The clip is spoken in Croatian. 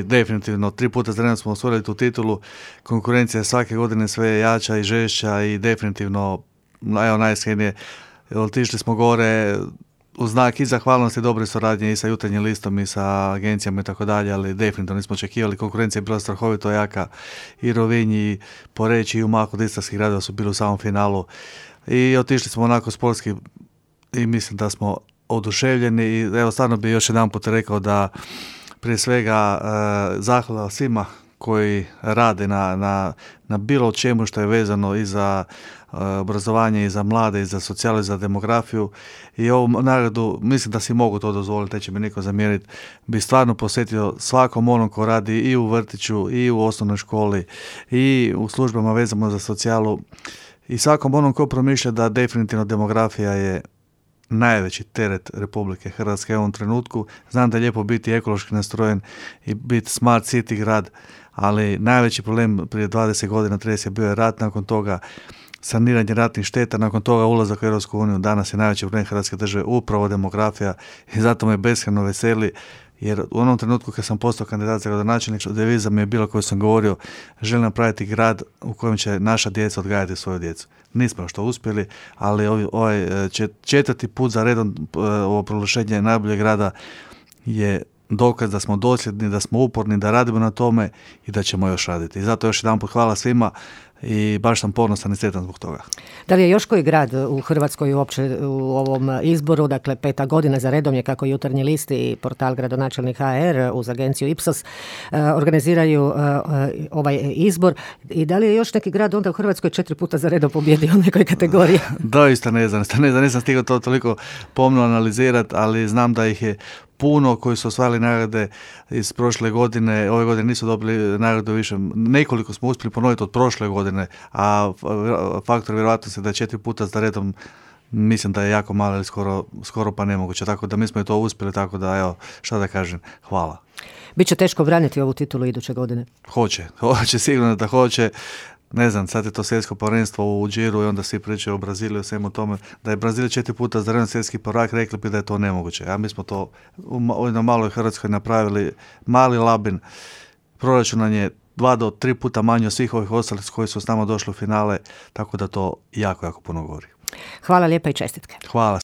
Definitivno, 3 puta za redom smo osvojili tu titulu, konkurencija je svake godine sve jača i žešća i definitivno, evo najiskrenije, otišli smo gore u znak i zahvalnosti dobre suradnje i sa Jutarnjim listom i sa agencijama i tako dalje, ali definitivno nismo očekivali, konkurencija je bila strahovito jaka, i Rovinj i Poreč i Umag od istarskih gradova su bili u samom finalu i otišli smo onako sportski i mislim da smo oduševljeni i evo stvarno bi još jedan put rekao da prije svega zahvala svima koji rade na bilo čemu što je vezano i za obrazovanje, i za mlade, i za socijalu, i za demografiju. I ovu nagradu, mislim da si mogu to dozvoliti, neće mi niko zamjeriti, bi stvarno posjetio svakom onom ko radi i u vrtiću, i u osnovnoj školi, i u službama vezano za socijalu, i svakom onom ko promišlja da definitivno demografija je najveći teret Republike Hrvatske u ovom trenutku. Znam da je lijepo biti ekološki nastrojen i biti smart city grad, ali najveći problem prije 20 godina, 30 je bio rat, nakon toga saniranje ratnih šteta, nakon toga ulazak u Europsku uniju. Danas je najveći problem Hrvatske države upravo demografija i zato me beskrajno veseli, jer u onom trenutku kad sam postao kandidat za gradonačelnik, deviza mi je bila koju sam govorio, želim napraviti grad u kojem će naša djeca odgajati svoju djecu. Nismo još to uspjeli, ali ovaj četvrti put za redom ovo proglašenje najboljeg grada je dokaz da smo dosljedni, da smo uporni, da radimo na tome i da ćemo još raditi. I zato još jedan put hvala svima i baš sam ponosan i sretan zbog toga. Da li je još koji grad u Hrvatskoj uopće u ovom izboru, dakle 5. godina za redom je kako Jutarnji list i portal Gradonačelnik HR uz agenciju Ipsos organiziraju ovaj izbor, i da li je još neki grad onda u Hrvatskoj 4 puta za redom pobjedio u nekoj kategoriji? Doista ne znam, nisam stigao to toliko pomno analizirati, ali znam da ih je puno koji su osvajali nagrade iz prošle godine, ove godine nisu dobili nagradu više, nekoliko smo uspjeli ponoviti od prošle godine, a faktor vjerojatnosti da je 4 puta za redom, mislim da je jako malo ili skoro pa nemoguće, tako da mi smo i to uspjeli, tako da evo, šta da kažem, hvala. Biće teško braniti ovu titulu iduće godine? Hoće, sigurno da hoće. Ne znam, sad je to svjetsko prvenstvo u džiru i onda svi pričaju o Braziliju, svemu tome. Da je Brazil 4 puta za redom svjetski prvak, rekli bi da je to nemoguće. A mi smo to u maloj Hrvatskoj napravili, mali Labin. Proračun nam je 2 do 3 puta manji od svih ovih ostalih koji su s nama došli u finale, tako da to jako, jako puno govori. Hvala lijepa i čestitke. Hvala.